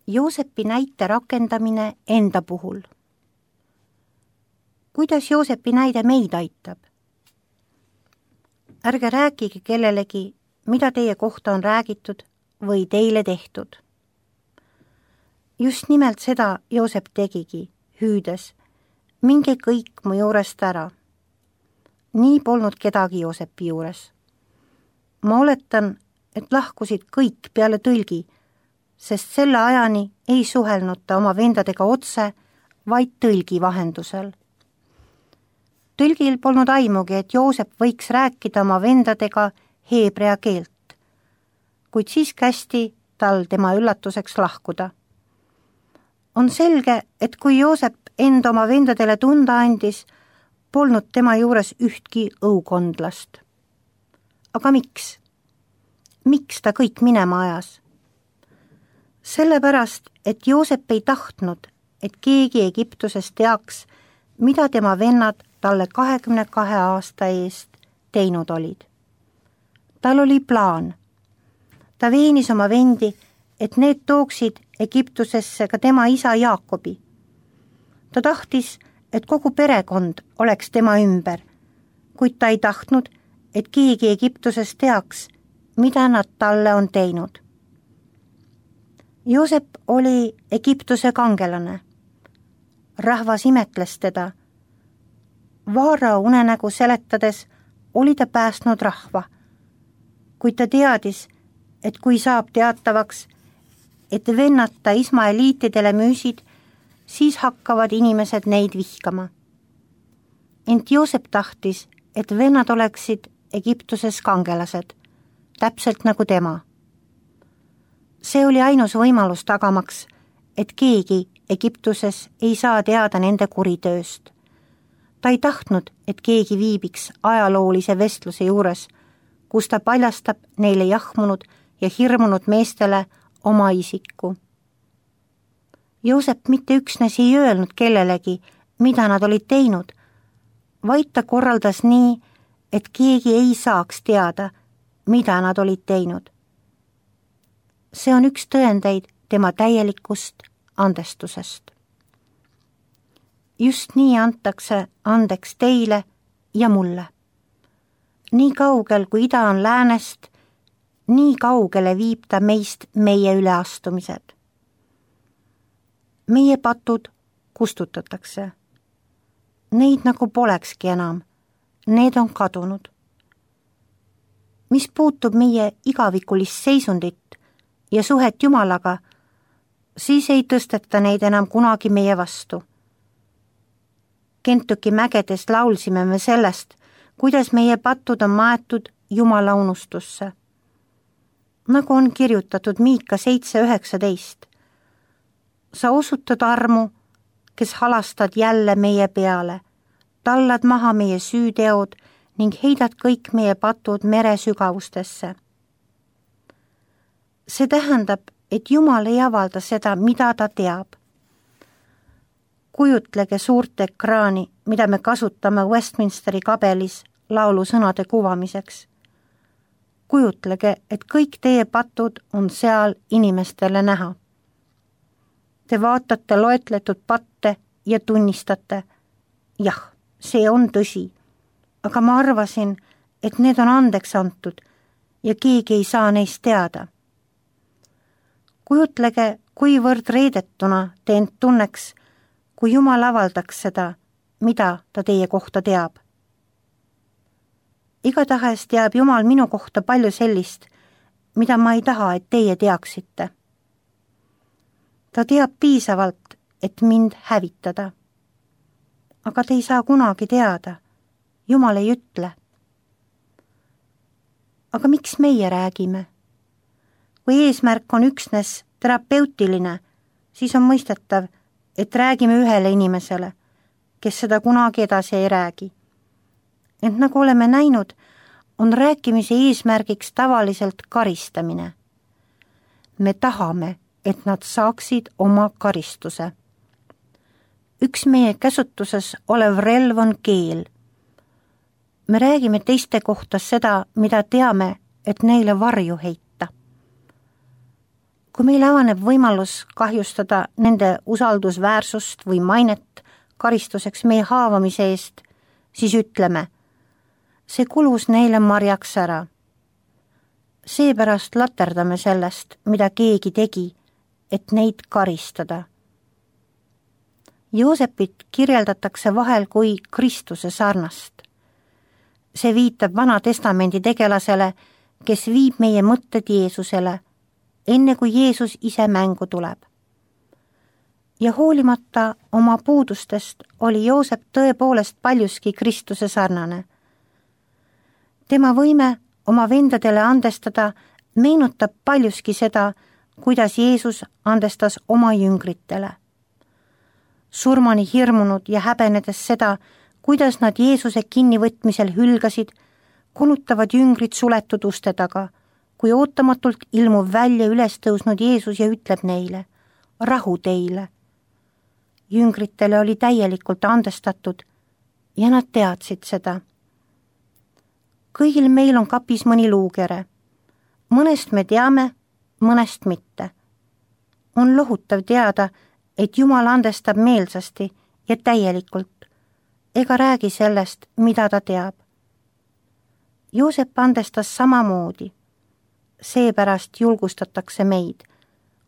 Joosepi näite rakendamine enda puhul. Kuidas Joosepi näide meid aitab? Ärge rääkige kellelegi, mida teie kohta on räägitud või teile tehtud. Just nimelt seda Joosep tegigi, hüüdes, minge kõik mu juurest ära. Nii polnud kedagi Joosepi juures. Ma oletan, et lahkusid kõik peale tõlgi, sest selle ajani ei suhelnud ta oma vendadega otse, vaid tõlgi vahendusel. Tõlgil polnud aimugi, et Joosep võiks rääkida oma vendadega heebrea keelt, kuid siis kästi tal tema üllatuseks lahkuda. On selge, et kui Joosep enda oma vendadele tunda andis, polnud tema juures ühtki õukondlast. Aga miks? Miks ta kõik minema ajas? Sellepärast, et Joosep ei tahtnud, et keegi Egiptuses teaks, mida tema vennad talle 22 aasta eest teinud olid. Tal oli plaan. Ta veenis oma vendi, et need tooksid Egiptusesse ka tema isa Jaakobi. Ta tahtis, et kogu perekond oleks tema ümber, kuid ta ei tahtnud, et keegi Egiptuses teaks, mida nad talle on teinud. Joosep oli Egiptuse kangelane. Rahvas imetles teda. Vaarao unenägu seletades oli ta päästnud rahva, kuid ta teadis, et kui saab teatavaks, et vennad ta ismaeliitidele müüsid, siis hakkavad inimesed neid vihkama. Ent Joosep tahtis, et vennad oleksid Egiptuses kangelased, täpselt nagu tema. See oli ainus võimalus tagamaks, et keegi Egiptuses ei saa teada nende kuritööst. Ta ei tahtnud, et keegi viibiks ajaloolise vestluse juures, kus ta paljastab neile jahmunud ja hirmunud meestele oma isiku. Joosep mitte üksnes ei öelnud kellelegi, mida nad olid teinud, vaid ta korraldas nii, et keegi ei saaks teada, mida nad olid teinud. See on üks tõendeid tema täielikust andestusest. Just nii antakse andeks teile ja mulle. Nii kaugel, kui ida on läänest, nii kaugele viib ta meist meie üleastumised. Meie patud kustutatakse. Neid nagu polekski enam. Need on kadunud. Mis puutub meie igavikulist seisundit ja suhet Jumalaga, siis ei tõsteta neid enam kunagi meie vastu. Kentuki mägedes laulsime me sellest, kuidas meie patud on maetud Jumala unustusse. Nagu on kirjutatud Miika 7:19. Sa osutad armu, kes halastad jälle meie peale, tallad maha meie süüteod ning heidad kõik meie patud mere sügavustesse. See tähendab, et Jumal ei avalda seda, mida ta teab. Kujutlege suurt ekraani, mida me kasutame Westminsteri kabelis laulusõnade kuvamiseks. Kujutlege, et kõik teie patud on seal inimestele näha. Te vaatate loetletud patte ja tunnistate, jah, see on tõsi, aga ma arvasin, et need on andeks antud ja keegi ei saa neist teada. Kujutlege, kuivõrd reedetuna te end tunneks, kui Jumal avaldaks seda, mida ta teie kohta teab. Igatahes teab Jumal minu kohta palju sellist, mida ma ei taha, et teie teaksite. Ta teab piisavalt, et mind hävitada. Aga te ei saa kunagi teada. Jumal ei ütle. Aga miks meie räägime? Kui eesmärk on üksnes terapeutiline, siis on mõistetav, et räägime ühele inimesele, kes seda kunagi edasi ei räägi. Ent nagu oleme näinud, on rääkimise eesmärgiks tavaliselt karistamine. Me tahame, et nad saaksid oma karistuse. Üks meie käsutuses olev relv on keel. Me räägime teiste kohta seda, mida teame, et neile varju heita. Kui meil avaneb võimalus kahjustada nende usaldusväärsust või mainet karistuseks meie haavamise eest, siis ütleme, see kulus neile marjaks ära. Seepärast laterdame sellest, mida keegi tegi, et neid karistada. Joosepit kirjeldatakse vahel kui Kristuse sarnast. See viitab Vana Testamendi tegelasele, kes viib meie mõtted Jeesusele, enne kui Jeesus ise mängu tuleb. Ja hoolimata oma puudustest oli Joosep tõepoolest paljuski Kristuse sarnane. Tema võime oma vendadele andestada meenutab paljuski seda, kuidas Jeesus andestas oma jüngritele. Surmani hirmunud ja häbenedes seda, kuidas nad Jeesuse kinnivõtmisel hülgasid, kulutavad jüngrid suletud uste taga, kui ootamatult ilmub välja üles tõusnud Jeesus ja ütleb neile, rahu teile. Jüngritele oli täielikult andestatud ja nad teadsid seda. Kõigil meil on kapis mõni luukere. Mõnest me teame, mõnest mitte. On lohutav teada, et Jumal andestab meelsasti ja täielikult, ega räägi sellest, mida ta teab. Joosep andestas samamoodi. Seepärast julgustatakse meid.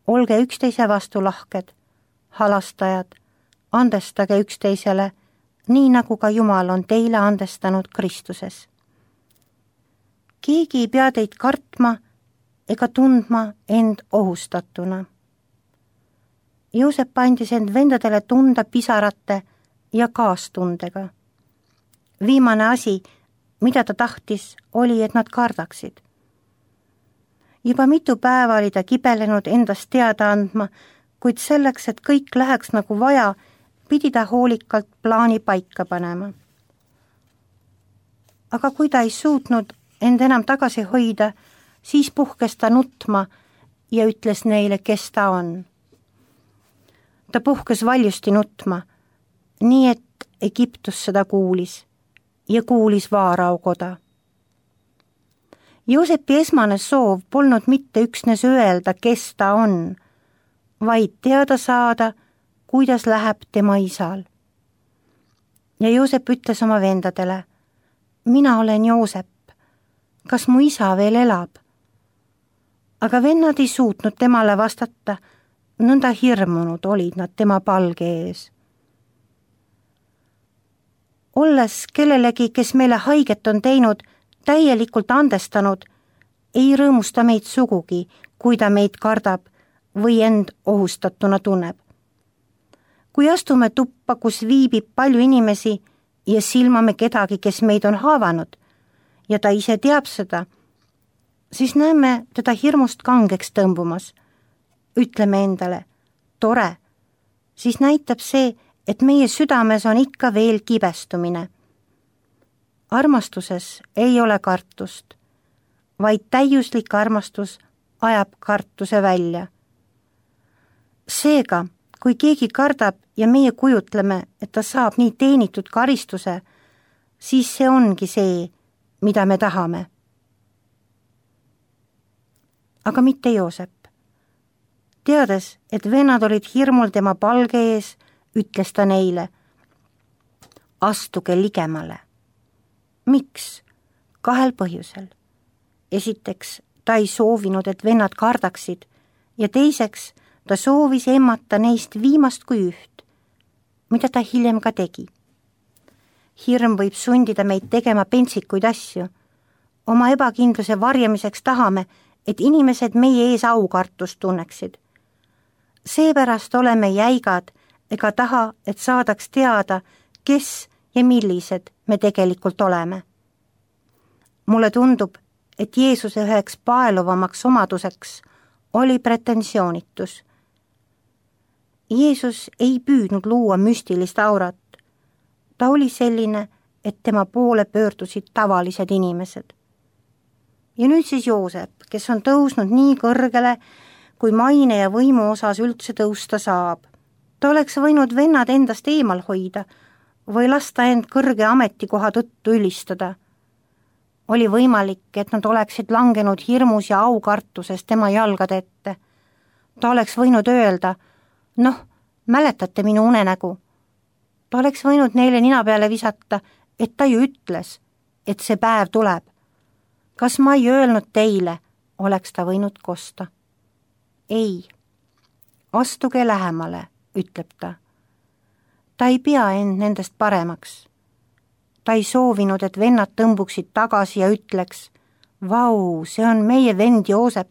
Olge üksteise vastu lahked, halastajad, andestage üksteisele, nii nagu ka Jumal on teile andestanud Kristuses. Keegi ei pea teid kartma ega tundma end ohustatuna. Joosep andis end vendadele tunda pisarate ja kaastundega. Viimane asi, mida ta tahtis, oli, et nad kardaksid. Juba mitu päeva oli ta kibelenud endast teada andma, kuid selleks, et kõik läheks nagu vaja, pidi ta hoolikalt plaani paika panema. Aga kui ta ei suutnud end enam tagasi hoida, siis puhkes ta nutma ja ütles neile, kes ta on. Ta puhkes valjusti nutma, nii et Egiptus seda kuulis ja kuulis Vaarao koda. Joosepi esmane soov polnud mitte üksnes öelda, kes ta on, vaid teada saada, kuidas läheb tema isal. Ja Joosep ütles oma vendadele, mina olen Joosep, kas mu isa veel elab? Aga vennad ei suutnud temale vastata, nõnda hirmunud olid nad tema palge ees. Olles kellelegi, kes meile haiget on teinud, täielikult andestanud, ei rõõmusta meid sugugi, kui ta meid kardab või end ohustatuna tunneb. Kui astume tuppa, kus viibib palju inimesi ja silmame kedagi, kes meid on haavanud ja ta ise teab seda, siis näeme teda hirmust kangeks tõmbumas. Ütleme endale, tore, siis näitab see, et meie südames on ikka veel kibestumine. Armastuses ei ole kartust, vaid täiuslik armastus ajab kartuse välja. Seega, kui keegi kardab ja meie kujutleme, et ta saab nii teenitud karistuse, siis see ongi see, mida me tahame. Aga mitte Joosep. Teades, et vennad olid hirmul tema palge ees, ütles ta neile, astuge ligemale. Miks? 2 põhjusel. Esiteks, ta ei soovinud, et vennad kardaksid ja teiseks, ta soovis emmata neist viimast kui üht, mida ta hiljem ka tegi. Hirm võib sundida meid tegema pentsikuid asju. Oma ebakindluse varjamiseks tahame, et inimesed meie ees aukartust tunneksid. Seepärast oleme jäigad ega taha, et saadaks teada, kes ja millised me tegelikult oleme. Mulle tundub, et Jeesuse üheks paeluvamaks omaduseks oli pretensioonitus. Jeesus ei püüdnud luua müstilist aurat. Ta oli selline, et tema poole pöördusid tavalised inimesed. Ja nüüd siis Joosep, kes on tõusnud nii kõrgele, kui maine ja võimu osas üldse tõusta saab. Ta oleks võinud vennad endast eemal hoida või lasta end kõrge ametikoha tõttu ülistada. Oli võimalik, et nad oleksid langenud hirmus ja aukartuses tema jalgade ette. Ta oleks võinud öelda, noh, mäletate minu unenägu. Ta oleks võinud neile nina peale visata, et ta ju ütles, et see päev tuleb. Kas ma ei öelnud teile, oleks ta võinud kosta. Ei, astuge lähemale, ütleb ta. Ta ei pea end nendest paremaks. Ta ei soovinud, et vennad tõmbuksid tagasi ja ütleks, vau, see on meie vend Joosep.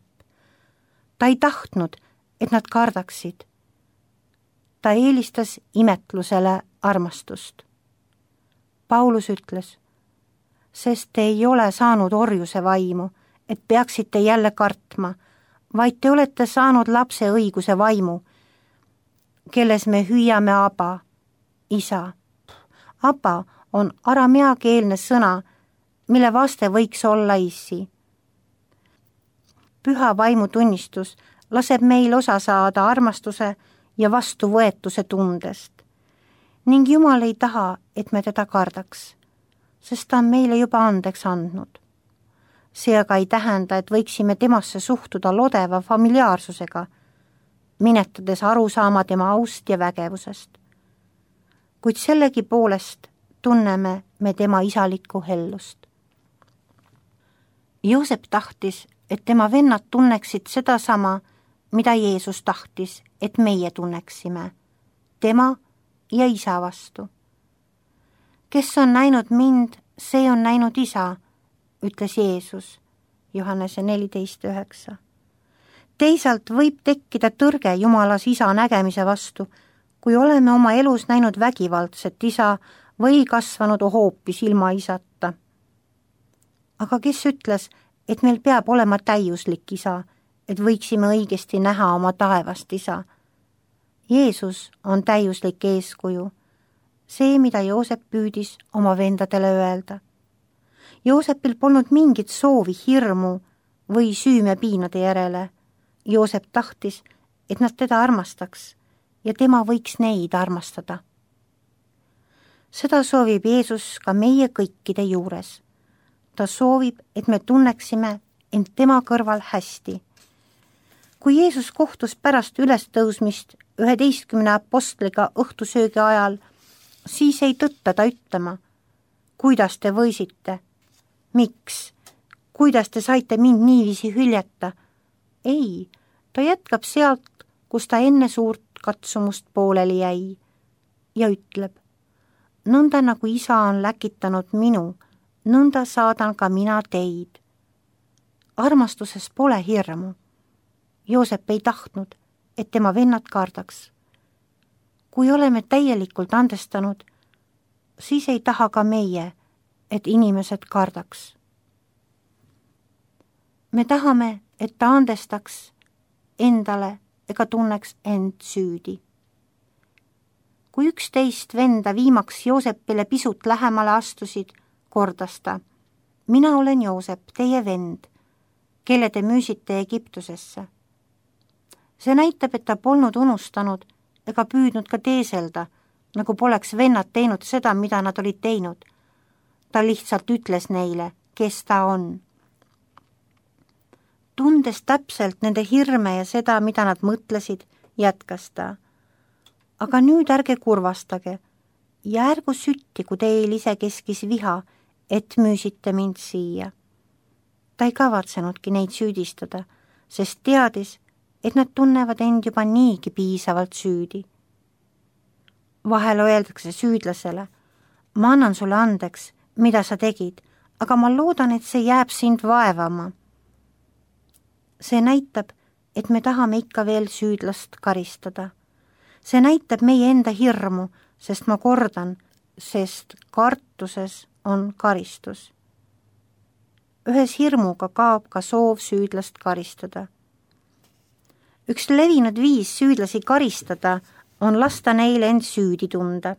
Ta ei tahtnud, et nad kardaksid. Ta eelistas imetlusele armastust. Paulus ütles, sest te ei ole saanud orjuse vaimu, et peaksite jälle kartma, vaid te olete saanud lapse õiguse vaimu, kelles me hüüame Aba, isa. Aba on arameakeelne sõna, mille vaste võiks olla issi. Püha vaimu tunnistus laseb meil osa saada armastuse ja vastuvõetuse tundest. Ning Jumal ei taha, et me teda kardaks, sest ta on meile juba andeks andnud. See aga ei tähenda, et võiksime temasse suhtuda lodeva familiaarsusega, minetades aru saama tema aust ja vägevusest. Kuid sellegi poolest tunneme me tema isalikku hellust. Joosep tahtis, et tema vennad tunneksid sedasama, mida Jeesus tahtis, et meie tunneksime, tema ja isa vastu. Kes on näinud mind, see on näinud isa, ütles Jeesus, Johannese 14:9. Teisalt võib tekkida tõrge Jumalas isa nägemise vastu, kui oleme oma elus näinud vägivaldset isa või kasvanud hoopis ilma isata. Aga kes ütles, et meil peab olema täiuslik isa, et võiksime õigesti näha oma taevast isa? Jeesus on täiuslik eeskuju, see, mida Joosep püüdis oma vendadele öelda. Joosepil polnud mingit soovi hirmu või süümepiinade järele. Joosep tahtis, et nad teda armastaks ja tema võiks neid armastada. Seda soovib Jeesus ka meie kõikide juures. Ta soovib, et me tunneksime end tema kõrval hästi. Kui Jeesus kohtus pärast ülestõusmist 11 apostliga õhtusöögi ajal, siis ei tõtta ta ütlema, kuidas te võisite, miks, kuidas te saite mind niiviisi hüljata. Ei, ta jätkab sealt, kus ta enne suurt katsumust pooleli jäi ja ütleb, nõnda nagu isa on läkitanud minu, nõnda saadan ka mina teid. Armastuses pole hirmu. Joosep ei tahtnud, et tema vennad kardaks. Kui oleme täielikult andestanud, siis ei taha ka meie, et inimesed kardaks. Me tahame, et ta andestaks endale ega tunneks end süüdi. Kui 11 venda viimaks Joosepile pisut lähemale astusid, kordas ta, mina olen Joosep, teie vend, kelle te müüsite Egiptusesse. See näitab, et ta polnud unustanud ega püüdnud ka teeselda, nagu poleks vennad teinud seda, mida nad olid teinud. Ta lihtsalt ütles neile, kes ta on. Tundes täpselt nende hirme ja seda, mida nad mõtlesid, jätkas ta. Aga nüüd ärge kurvastage ja ärgu süttigu teil isekeskis viha, et müüsite mind siia. Ta ei kavatsenudki neid süüdistada, sest teadis, et nad tunnevad end juba niigi piisavalt süüdi. Vahel öeldakse süüdlasele, ma annan sulle andeks, mida sa tegid, aga ma loodan, et see jääb sind vaevama. See näitab, et me tahame ikka veel süüdlast karistada. See näitab meie enda hirmu, sest ma kordan, sest kartuses on karistus. Ühes hirmuga kaob ka soov süüdlast karistada. Üks levinud viis süüdlasi karistada on lasta neile end süüdi tunda.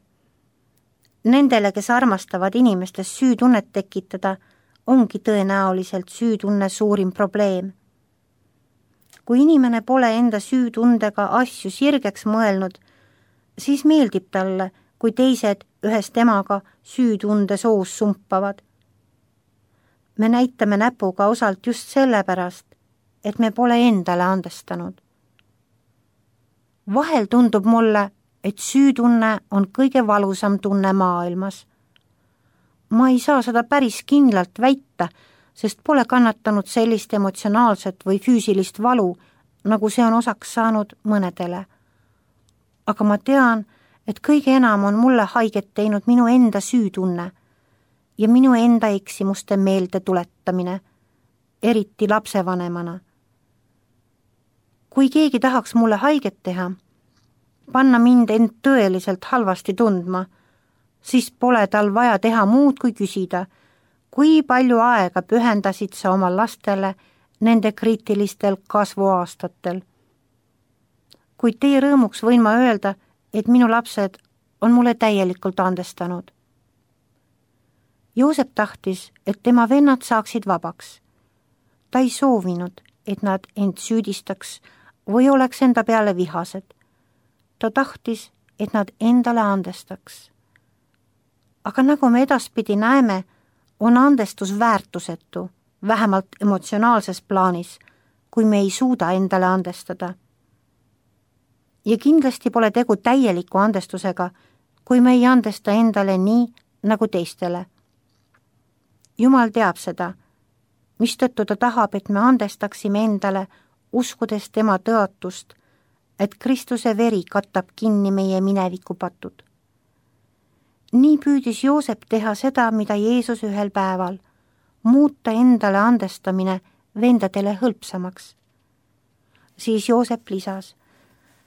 Nendele, kes armastavad inimestes süütunnet tekitada, ongi tõenäoliselt süütunne suurim probleem. Kui inimene pole enda süütundega asju sirgeks mõelnud, siis meeldib talle, kui teised ühes temaga süütunde soos sumpavad. Me näitame näpuga osalt just sellepärast, et me pole endale andestanud. Vahel tundub mulle, et süütunne on kõige valusam tunne maailmas. Ma ei saa seda päris kindlalt väita, sest pole kannatanud sellist emotsionaalset või füüsilist valu, nagu see on osaks saanud mõnedele. Aga ma tean, et kõige enam on mulle haiget teinud minu enda süütunne ja minu enda eksimuste meelde tuletamine, eriti lapsevanemana. Kui keegi tahaks mulle haiget teha, panna mind end tõeliselt halvasti tundma, siis pole tal vaja teha muud kui küsida, kui palju aega pühendasid sa oma lastele nende kriitilistel kasvuaastatel. Kuid teie rõõmuks võin ma öelda, et minu lapsed on mulle täielikult andestanud. Joosep tahtis, et tema vennad saaksid vabaks. Ta ei soovinud, et nad end süüdistaks või oleks enda peale vihased. Ta tahtis, et nad endale andestaks. Aga nagu me edaspidi näeme, on andestus väärtusetu, vähemalt emotsionaalses plaanis, kui me ei suuda endale andestada. Ja kindlasti pole tegu täieliku andestusega, kui me ei andesta endale nii, nagu teistele. Jumal teab seda, mistõttu ta tahab, et me andestaksime endale, uskudes tema tõotust, et Kristuse veri katab kinni meie minevikupatud. Nii püüdis Joosep teha seda, mida Jeesus ühel päeval, muuta endale andestamine vendadele hõlpsamaks. Siis Joosep lisas,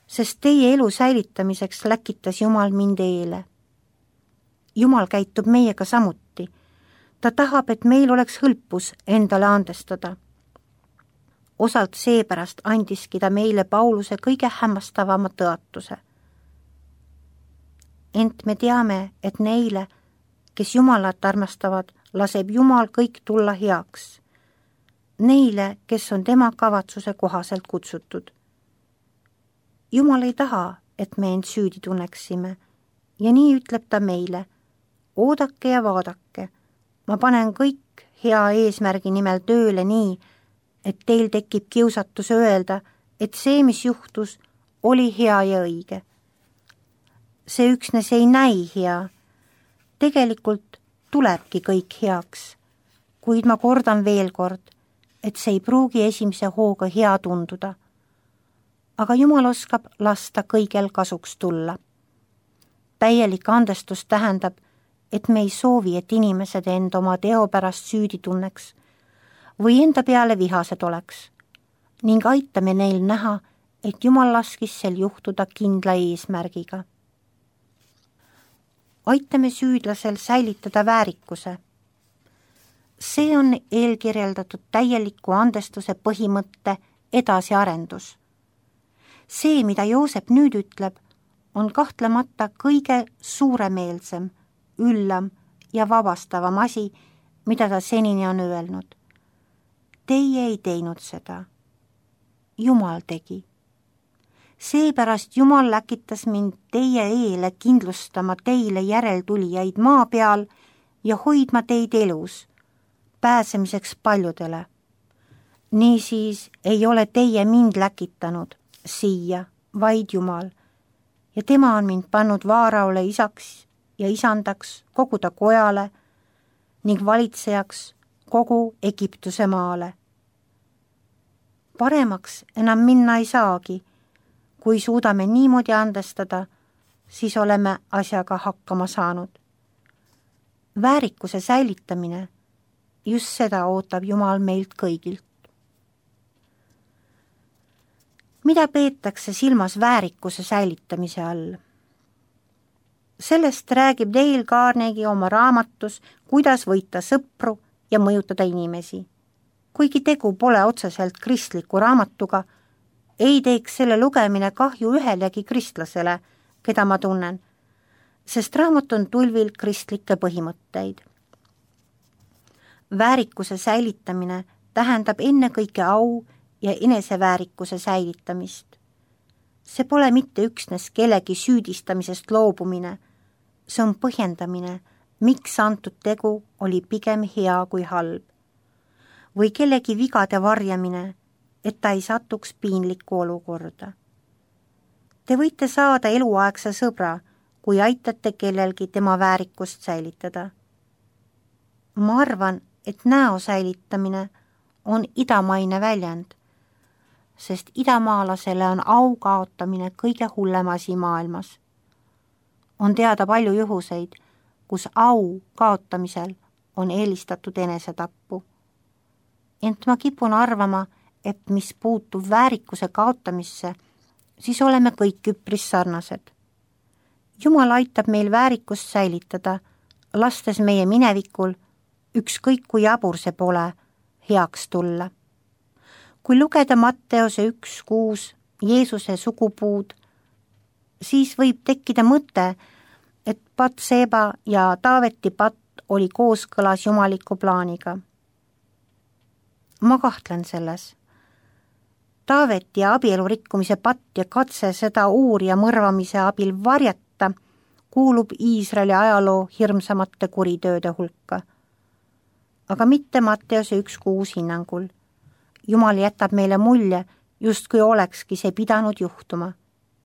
sest teie elu säilitamiseks läkitas Jumal mind eele. Jumal käitub meiega samuti. Ta tahab, et meil oleks hõlpus endale andestada. Osalt seepärast andiski ta meile Pauluse kõige hämmastavama tõotuse. Ent me teame, et neile, kes Jumalat armastavad, laseb Jumal kõik tulla heaks. Neile, kes on tema kavatsuse kohaselt kutsutud. Jumal ei taha, et me end süüdi tunneksime ja nii ütleb ta meile, oodake ja vaadake, ma panen kõik hea eesmärgi nimel tööle nii, et teil tekib kiusatus öelda, et see, mis juhtus, oli hea ja õige. See üksnes ei näi hea. Tegelikult tulebki kõik heaks, kuid ma kordan veel kord, et see ei pruugi esimese hooga hea tunduda. Aga Jumal oskab lasta kõigel kasuks tulla. Täielik andestus tähendab, et me ei soovi, et inimesed end oma teo pärast süüdi tunneks või enda peale vihased oleks ning aitame neil näha, et Jumal laskis sel juhtuda kindla eesmärgiga. Aitame süüdlasel säilitada väärikuse. See on eelkirjeldatud täieliku andestuse põhimõtte edasiarendus. See, mida Joosep nüüd ütleb, on kahtlemata kõige suuremeelsem, üllam ja vabastavam asi, mida ta senini on öelnud. Teie ei teinud seda. Jumal tegi. Seepärast Jumal läkitas mind teie eele kindlustama teile järeltulijaid maa peal ja hoidma teid elus, pääsemiseks paljudele. Niisiis ei ole teie mind läkitanud siia, vaid Jumal, ja tema on mind pannud Vaaraole isaks ja isandaks kogu ta kojale ning valitsejaks kogu Egiptuse maale. Paremaks enam minna ei saagi. Kui suudame niimoodi andestada, siis oleme asjaga hakkama saanud. Väärikuse säilitamine, just seda ootab Jumal meilt kõigilt. Mida peetakse silmas väärikuse säilitamise all? Sellest räägib Dale Carnegie oma raamatus Kuidas võita sõpru ja mõjutada inimesi. Kuigi tegu pole otseselt kristliku raamatuga, ei teeks selle lugemine kahju ühelegi kristlasele, keda ma tunnen, sest raamat on tulvil kristlikke põhimõtteid. Väärikuse säilitamine tähendab ennekõike au ja eneseväärikuse säilitamist. See pole mitte üksnes kellegi süüdistamisest loobumine, see on põhjendamine, miks antud tegu oli pigem hea kui halb. Või kellegi vigade varjamine, et ta ei satuks piinlikku olukorda. Te võite saada eluaegse sõbra, kui aitate kellelgi tema väärikust säilitada. Ma arvan, et näo säilitamine on idamaine väljend, sest idamaalasele on au kaotamine kõige hullem asi maailmas. On teada palju juhuseid, kus au kaotamisel on eelistatud enesetappu. Ent ma kipun arvama, et mis puutub väärikuse kaotamisse, siis oleme kõik üpris sarnased. Jumal aitab meil väärikust säilitada, lastes meie minevikul, ükskõik kui jabur see pole, heaks tulla. Kui lugeda Matteuse 1:6 Jeesuse sugupuud, siis võib tekkida mõte, et Batseba ja Taaveti patt oli kooskõlas jumaliku plaaniga. Ma kahtlen selles. Taaveti ja abielu rikkumise patt ja katse seda uurija mõrvamise abil varjata kuulub Iisraeli ajaloo hirmsamate kuritööde hulka. Aga mitte Matteuse 1:6 hinnangul. Jumal jätab meile mulje, justkui olekski see pidanud juhtuma.